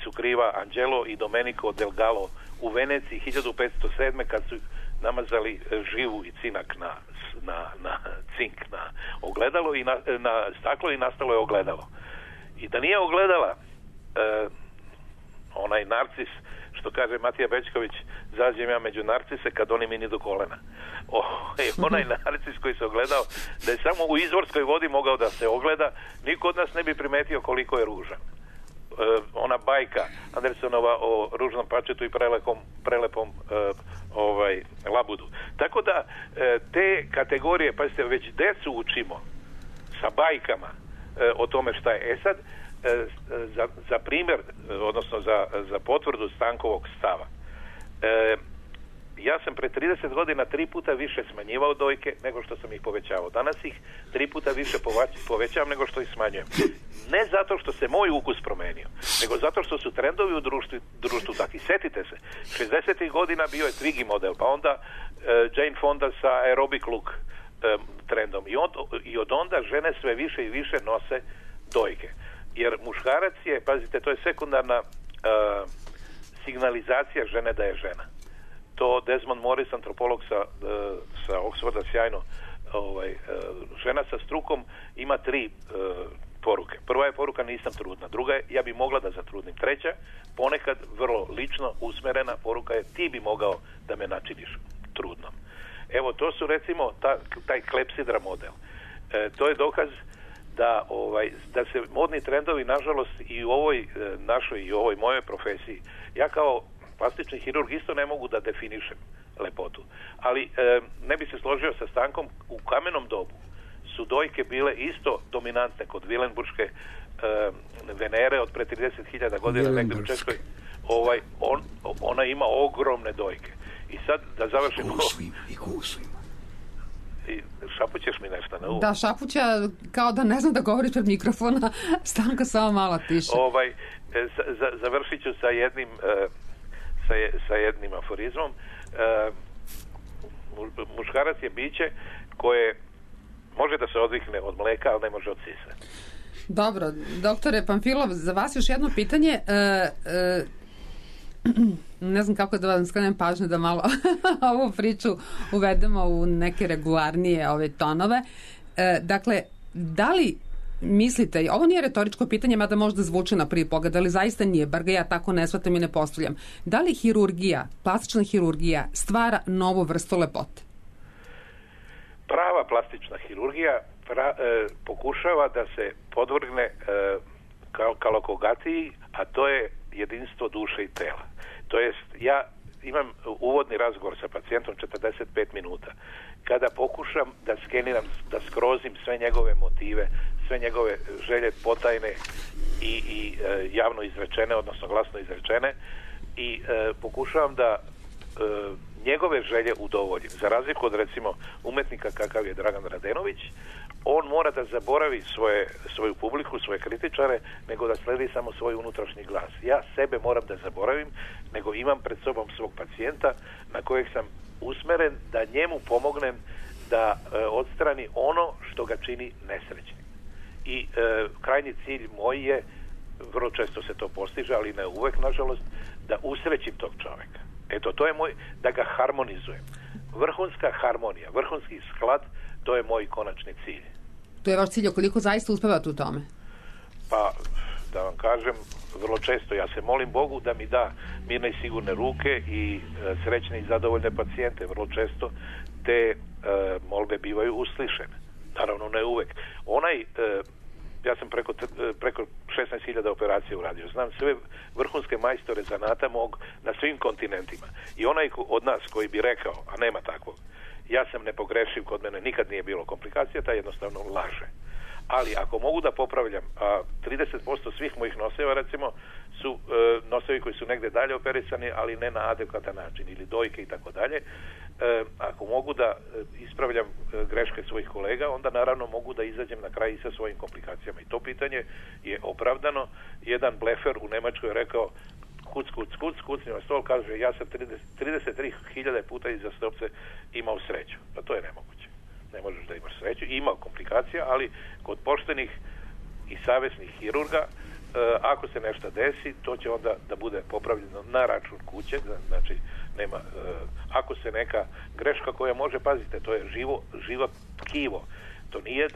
su kriva Angelo i Domenico Del Gallo u Veneciji 1507. kad su namazali živu i cinak na cink, na ogledalo i na staklo i nastalo je ogledalo. I da nije ogledala onaj narcis, što kaže Matija Bećković, zađem ja među narcise kad oni mi ni do kolena. Onaj narcis koji se ogledao, da je samo u izvorskoj vodi mogao da se ogleda, niko od nas ne bi primetio koliko je ružan. Ona bajka Andersenova o ružnom pačetu i prelepom labudu. Tako da te kategorije, pazite, već decu učimo sa bajkama o tome šta je. Sad, za primjer, odnosno za potvrdu Stankovog stava. Ja sam pre 30 godina 3 puta više smanjivao dojke nego što sam ih povećavao. Danas ih 3 puta više povećavam nego što ih smanjujem. Ne zato što se moj ukus promenio, nego zato što su trendovi u društvu takvi. Setite se, 60. godina bio je Twiggy model, pa onda Jane Fonda sa aerobic look trendom. I od onda žene sve više i više nose dojke. Jer muškarac je, pazite, to je sekundarna signalizacija žene da je žena. To Desmond Morris, antropolog sa Oxforda, sjajno, žena sa strukom ima 3 poruke. Prva je poruka nisam trudna, druga je ja bi mogla da zatrudnim, treća ponekad vrlo lično usmerena poruka je ti bi mogao da me načiniš trudnom. Evo, to su recimo taj klepsidra model. To je dokaz da se modni trendovi, nažalost, i u ovoj našoj i u ovoj mojoj profesiji, ja kao plastični hirurg isto ne mogu da definišem lepotu. Ali ne bi se složio sa Stankom, u kamenom dobu su dojke bile isto dominantne kod Vilenburške Venere od pre 30.000 godina negdje u Češkoj. Ona ima ogromne dojke. I sad da završimo... Gusu ima. Šapućeš mi nešto na uvo? Da, šapuća kao da ne znam da govoriš pred mikrofona. Stanka samo malo tiše. Završit ću sa jednim aforizmom. Muškarac je biće koje može da se odvikne od mleka, ali ne može od sisa. Dobro, doktore Pamfilov, za vas još jedno pitanje. Ne znam kako da vam skrenem pažnju da malo ovu priču uvedemo u neke regularnije ove tonove. Dakle, da li mislite, ovo nije retoričko pitanje, mada možda zvuči na prvi pogled, ali zaista nije, bar ga ja tako ne shvatam i ne postavljam. Da li hirurgija, plastična hirurgija stvara novu vrstu lepote? Prava plastična hirurgija pokušava da se podvrgne kalokogaciji, a to je jedinstvo duše i tela. To jest, ja imam uvodni razgovor sa pacijentom 45 minuta. Kada pokušam da skeniram, da skrozim sve njegove motive, sve njegove želje potajne i javno izrečene, odnosno glasno izrečene, i pokušavam da njegove želje udovoljim. Za razliku od, recimo, umetnika kakav je Dragan Radenović, on mora da zaboravi svoju publiku, svoje kritičare, nego da sledi samo svoj unutrašnji glas. Ja sebe moram da zaboravim, nego imam pred sobom svog pacijenta na kojeg sam usmeren da njemu pomognem da odstrani ono što ga čini nesrećnim. I krajnji cilj moj je, vrlo često se to postiže, ali ne uvek, nažalost, da usrećim tog čoveka. Eto, to je moj, da ga harmonizujem. Vrhunska harmonija, vrhunski sklad, to je moj konačni cilj. To je vaš cilj, koliko zaista uspevate u tome? Pa, da vam kažem, vrlo često ja se molim Bogu da mi da mirne i sigurne ruke i srećne i zadovoljne pacijente. Vrlo često te molbe bivaju uslišene. Naravno, ne uvek. Ja sam preko 16.000 operacija uradio. Znam sve vrhunske majstore zanata mog na svim kontinentima. I onaj od nas koji bi rekao, a nema takvog, ja sam nepogrešiv, kod mene nikad nije bilo komplikacija, taj jednostavno laže. Ali ako mogu da popravljam, a 30% svih mojih noseva, recimo, su nosevi koji su negde dalje operisani, ali ne na adekvatan način, ili dojke i tako dalje, ako mogu da ispravljam greške svojih kolega, onda naravno mogu da izađem na kraj i sa svojim komplikacijama. I to pitanje je opravdano. Jedan blefer u Nemačkoj je rekao kucni na stol, kaže, ja sam 33.000 puta iza stopce imao sreću. Pa to je nemoguće. Ne možeš da imaš sreću. Ima komplikacija, ali kod poštenih i savesnih hirurga, ako se nešto desi, to će onda da bude popravljeno na račun kuće, znači nema, ako se neka greška koja može, pazite, to je živo tkivo. To nije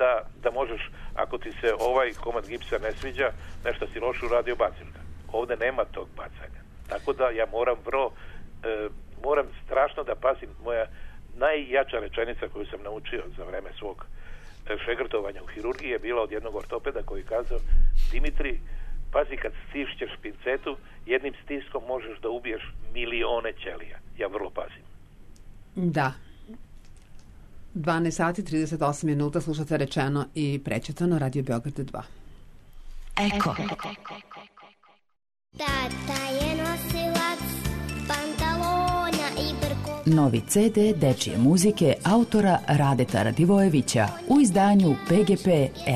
da možeš, ako ti se ovaj komad gipsa ne sviđa, nešto si loše uradio, baciš ga. Ovde nema tog bacanja. Tako da ja moram strašno da pazim. Moja najjača rečenica koju sam naučio za vreme svog šegrtovanja u hirurgiji je bila od jednog ortopeda koji kazao: Dimitri, pazi, kad stišćeš pincetu, jednim stiskom možeš da ubiješ milione ćelija. Ja vrlo pazim. Da. 12 sati 38 minuta, slušate Rečeno i Prečutano, Radio Beograd 2. Eko. Tata je nosilac pantalona i brkova. Novi CD dečije muzike autora Radeta Radivojevića u izdanju PGP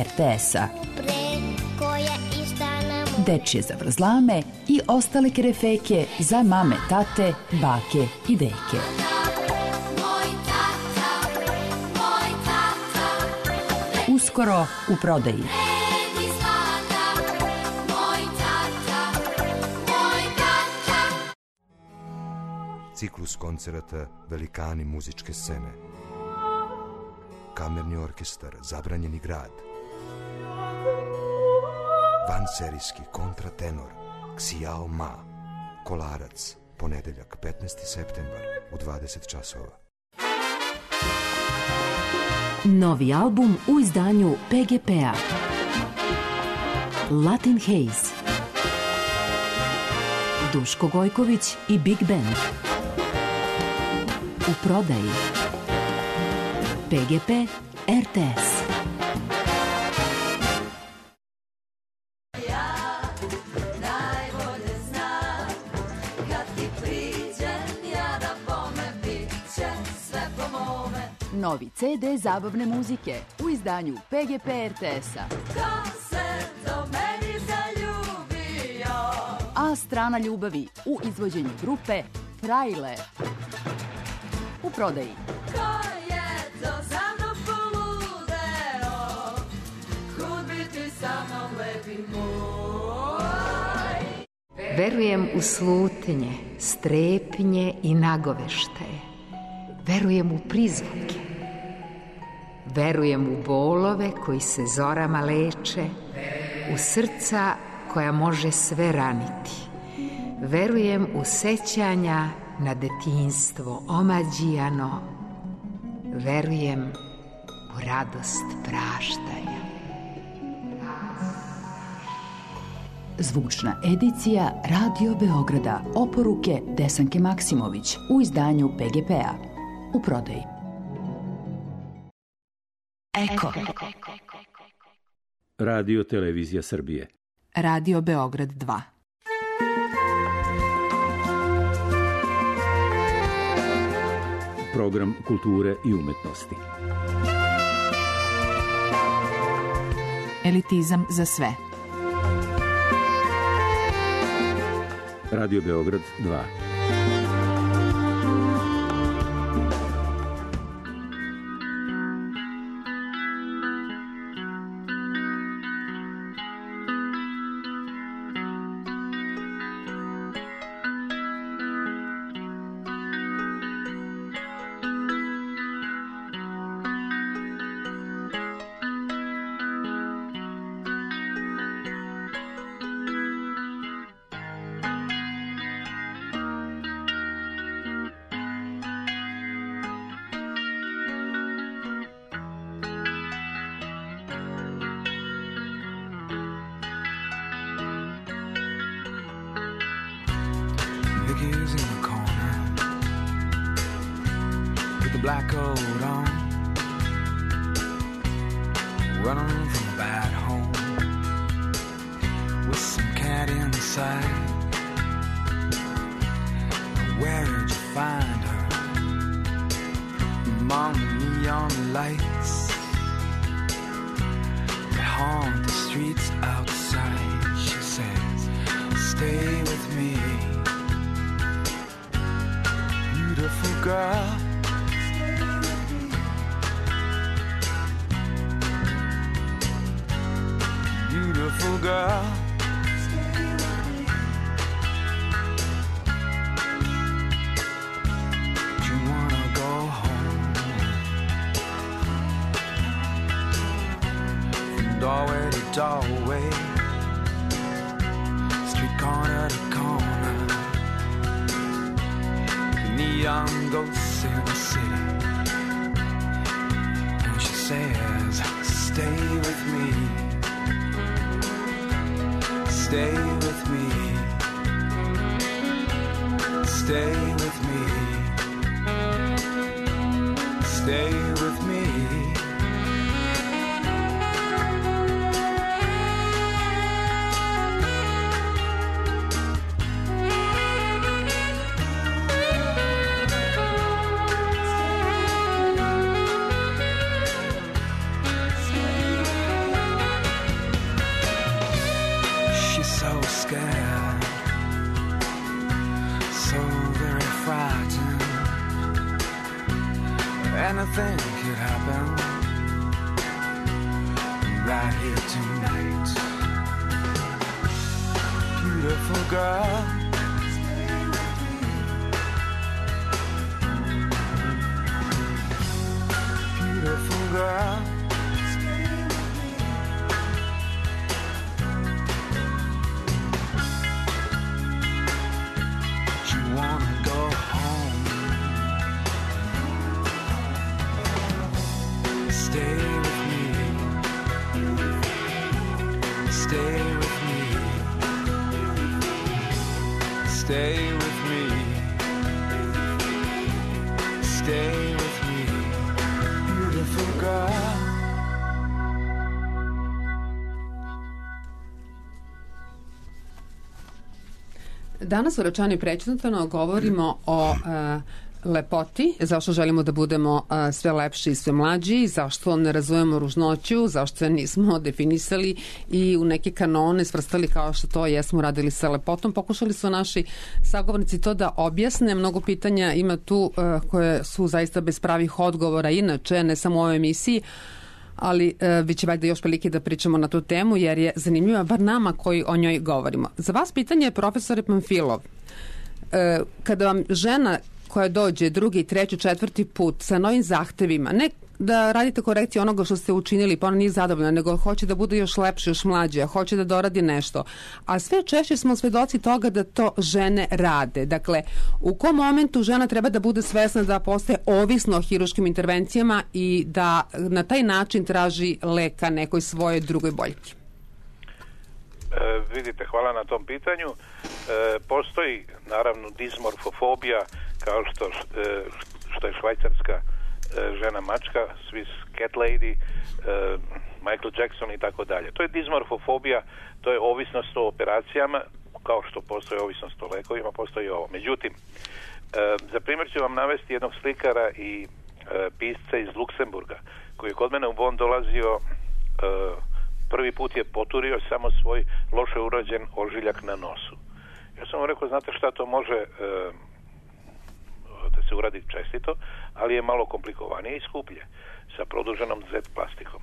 RTS-a. Dečije zavrzlame i ostale kerefeke za mame, tate, bake i deke. Uskoro u prodaji. Ciklus koncerata Velikani muzičke scene. Kamerni orkestar Zabranjeni grad. Vanserijski kontratenor Xiao Ma. Kolarac, ponedeljak 15. septembar u 20 časova. Novi album u izdanju PGP-a. Latin Haze. Duško Gojković i Big Band. U prodaji. PGP RTS. Novi CD zabavne muzike u izdanju PGP RTS-a. A strana ljubavi u izvođenju grupe Frajle. U prodaji. Verujem u slutnje, strepnje i nagoveštaje. Verujem u prizvuke. Verujem u bolove koji se zorama leče, u srca koja može sve raniti. Verujem u sećanja na detinjstvo omađijano. Verujem u radost praštanja. Zvučna edicija Radio Beograda. Oporuke Desanke Maksimović u izdanju PGP-a. U prodaji. Eko. Radio Televizija Srbije. Radio Beograd 2. Program kulture i umetnosti. Elitizam za sve. Radio Beograd 2. Vicky's in the corner with the black coat on, running from a bad home with some cat inside. Where'd you find her? Among the neon lights that haunt the streets outside. She says, stay with me, beautiful girl. Beautiful girl. Do you wanna go home? From doorway to doorway, street corner to corner, neon ghosts in the city. And she says, stay with me, stay with me, stay with me, stay with me. Anything could happen right here tonight. Beautiful girl. Beautiful girl. You wanna go home? Stay with me. Stay with me, beautiful girl. Danas u Rečani prečitano govorimo o lepoti, zašto želimo da budemo sve lepši i sve mlađi, zašto ne razumemo ružnoću, zašto se nismo definisali i u neke kanone svrstali kao što to jesmo radili sa lepotom. Pokušali su naši sagovornici to da objasne. Mnogo pitanja ima tu koje su zaista bez pravih odgovora inače, ne samo u ovoj emisiji, ali bit će valjda još prilike da pričamo na tu temu jer je zanimljiva bar nama koji o njoj govorimo. Za vas pitanje je, profesore Pamfilov, kada vam žena koja dođe drugi, treći, četvrti put sa novim zahtevima, ne da radite korekciju onoga što ste učinili pa ona nije zadovoljna, nego hoće da bude još lepše, još mlađe, hoće da doradi nešto. A sve češće smo svedoci toga da to žene rade. Dakle, u kom momentu žena treba da bude svesna da postaje ovisno o hiruškim intervencijama i da na taj način traži leka nekoj svojoj drugoj boljki? Vidite, hvala na tom pitanju. Postoji naravno dismorfofobija, kao što je švajcarska žena mačka, Swiss cat lady, Michael Jackson i tako dalje. To je dismorfofobija, to je ovisnost o operacijama, kao što postoji ovisnost o lekovima, postoji i ovo. Međutim, za primjer ću vam navesti jednog slikara i pisca iz Luksemburga, koji je kod mene u Bonn dolazio, prvi put je poturio samo svoj loše urađen ožiljak na nosu. Ja sam mu rekao, znate šta, to može da se uradi čestito, ali je malo komplikovanije i skuplje. Sa produženom Z plastikom,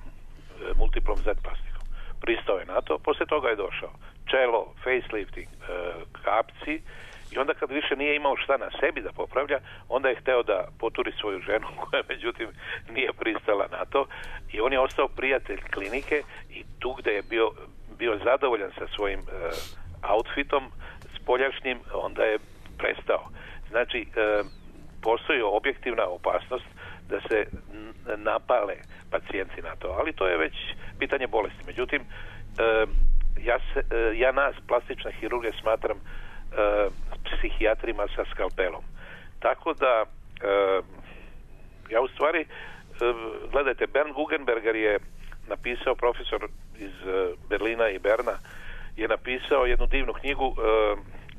multiplom Z plastikom. Pristao je na to, poslije toga je došao čelo, facelifting, kapci, i onda kad više nije imao šta na sebi da popravlja, onda je hteo da poturi svoju ženu, koja međutim nije pristala na to, i on je ostao prijatelj klinike i tu gde je bio zadovoljan sa svojim outfitom spoljašnjim, onda je prestao. Znači, postoji objektivna opasnost da se napale pacijenti na to, ali to je već pitanje bolesti. Međutim, ja nas, plastične hirurge, smatram psihijatrima sa skalpelom. Tako da ja u stvari, gledajte, Bernd Guggenberger je napisao, profesor iz Berlina i Berna, je napisao jednu divnu knjigu,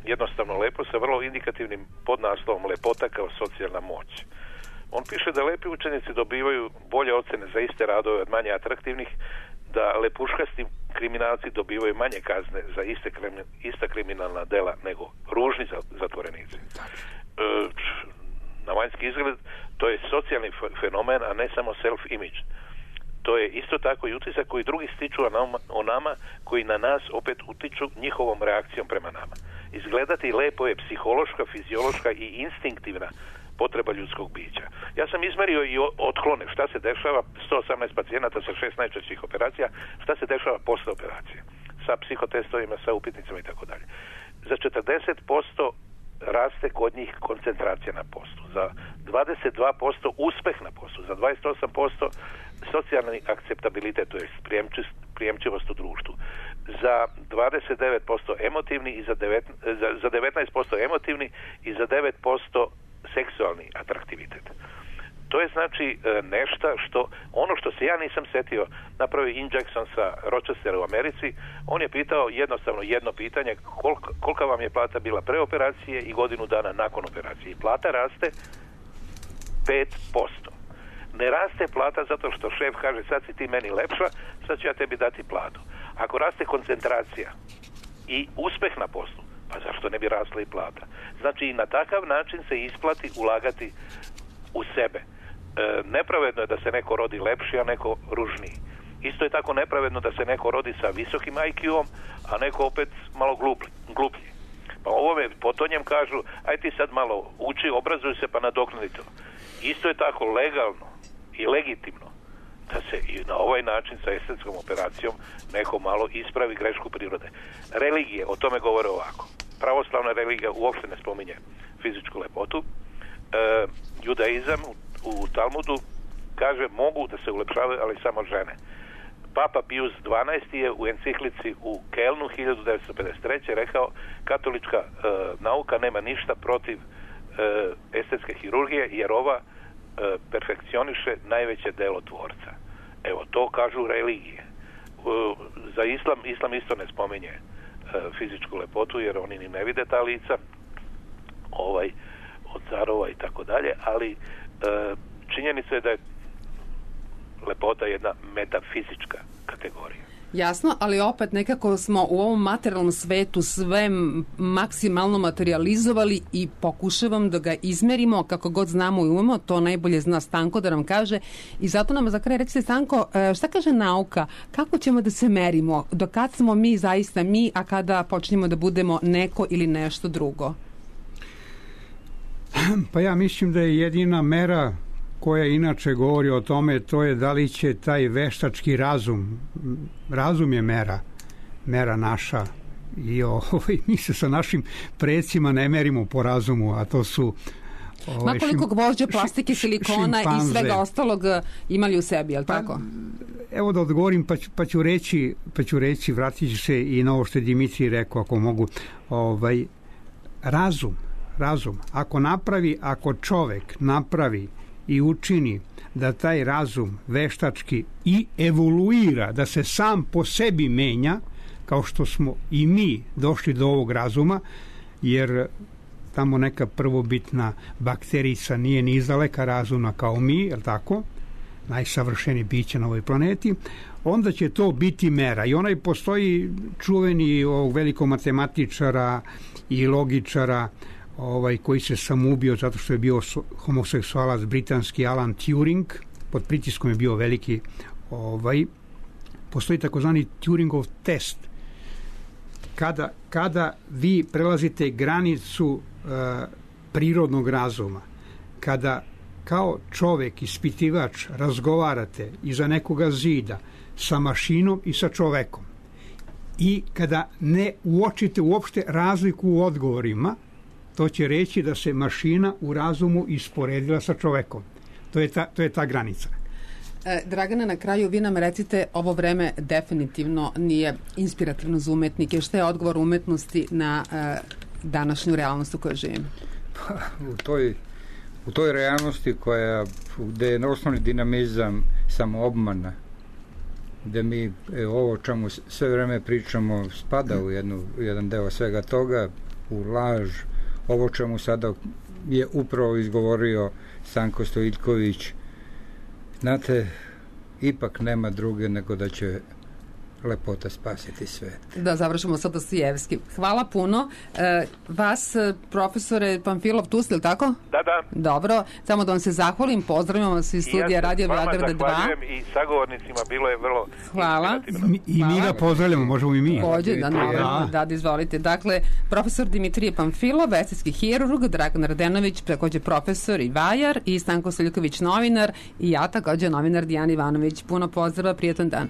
Jednostavno lepo, sa vrlo indikativnim podnaslovom Lepota kao socijalna moć. On piše da lepi učenici dobivaju bolje ocene za iste radove od manje atraktivnih, da lepuškasti kriminalci dobivaju manje kazne za ista kriminalna dela nego ružni zatvorenici. Na vanjski izgled to je socijalni fenomen, a ne samo self-image. To je isto tako i utisak koji drugi stiču o nama, koji na nas opet utiču njihovom reakcijom prema nama. Izgledati lepo je psihološka, fiziološka i instinktivna potreba ljudskog bića. Ja sam izmerio i otklone šta se dešava, 118 pacijenata sa 6 najčešćih operacija, šta se dešava posle operacije, sa psihotestovima, sa upitnicama i tako dalje. Za 40% raste kod njih koncentracija na poslu, za 22% uspeh na poslu, za 28% socijalni akceptabilitet, to je prijemčivost u društvu, za 29% emotivni i za 19% emotivni i za 9% seksualni atraktivitet. To je znači nešto što, ono što se ja nisam setio, napravio Jackson sa Rochestera u Americi. On je pitao jednostavno jedno pitanje, kolika vam je plata bila pre operacije i godinu dana nakon operacije. I plata raste 5%. Ne raste plata zato što šef kaže, sad si ti meni lepša, sad ću ja tebi dati platu. Ako raste koncentracija i uspeh na poslu, pa zašto ne bi rasla i plata? Znači i na takav način se isplati ulagati u sebe. Nepravedno je da se neko rodi lepši, a neko ružniji. Isto je tako nepravedno da se neko rodi sa visokim IQ-om, a neko opet malo gluplji. Pa ovome potonjem kažu, aj ti sad malo uči, obrazuj se pa nadoknadi to. Isto je tako legalno i legitimno da se i na ovaj način sa estetskom operacijom neko malo ispravi grešku prirode. Religije o tome govore ovako. Pravoslavna religija uopšte ne spominje fizičku lepotu. Judaizam u Talmudu kaže mogu da se ulepšavaju, ali samo žene. Papa Pius XII je u enciklici u Kelnu 1953. rekao katolička nauka nema ništa protiv estetske hirurgije jer ova perfekcioniše najveće delo tvorca. Evo, to kažu religije. Za islam isto ne spominje fizičku lepotu jer oni ni ne vide ta lica od carova i tako dalje, ali činjenica je da je lepota jedna metafizička kategorija. Jasno, ali opet nekako smo u ovom materijalnom svetu sve maksimalno materializovali i pokušavam da ga izmerimo kako god znamo i umemo, to najbolje zna Stanko da nam kaže i zato nam za kraj recite Stanko, šta kaže nauka, kako ćemo da se merimo, do kad smo mi zaista mi, a kada počnemo da budemo neko ili nešto drugo? Pa ja mislim da je jedina mera koja inače govori o tome, to je da li će taj veštački razum je mera naša i mi se sa našim predsima ne merimo po razumu, a to su ma koliko gvožđa, plastike, silikona šimpanze i svega ostalog imali u sebi, je li tako? Evo da odgovorim, pa ću reći, vratit ću se i na ovo što je Dimitrij rekao, ako mogu, razum, ako čovek napravi i učini da taj razum veštački i evoluira, da se sam po sebi menja, kao što smo i mi došli do ovog razuma, jer tamo neka prvobitna bakterica nije ni izdaleka razumna kao mi, je li tako? Najsavršeniji biće na ovoj planeti, onda će to biti mera. I onaj postoji čuveni ovog velikog matematičara i logičara koji se samoubio zato što je bio homoseksualac britanski Alan Turing, pod pritiskom je bio veliki, postoji takozvani Turingov test. Kada vi prelazite granicu prirodnog razuma, kada kao čovek, ispitivač, razgovarate iza nekoga zida sa mašinom i sa čovekom i kada ne uočite uopšte razliku u odgovorima, to će reći da se mašina u razumu isporedila sa čovekom. To je ta granica. Dragana, na kraju vi nam recite, ovo vreme definitivno nije inspirativno za umetnike. Šta je odgovor umetnosti na današnju realnost u kojoj živimo? U toj realnosti gde je osnovni dinamizam samoobmana, gde mi ovo o čemu sve vreme pričamo spada u jedan deo svega toga, u laž, ovo čemu sada je upravo izgovorio Stanko Stojiljković, znate, ipak nema druge nego da će lepota spasiti svet. Da, završimo sa Dostojevskim. Hvala puno. Vas, profesore Pamfilov, tu ste, ili tako? Da. Dobro, samo da vam se zahvalim, pozdravljam vas iz studija Radio Beograda 2. Zahvaljujem i sagovornicima, bilo je vrlo hvala. I mi ga pozdravljamo, možemo i mi. Da, izvolite. Dakle, profesor Dimitrije Pamfilov, estetski hirurg, Dragan Radenović, takođe profesor i vajar, i Stanko Stojiljković, novinar, i ja takođe novinar Dijana Ivanović. Puno pozdrava, prijatan dan.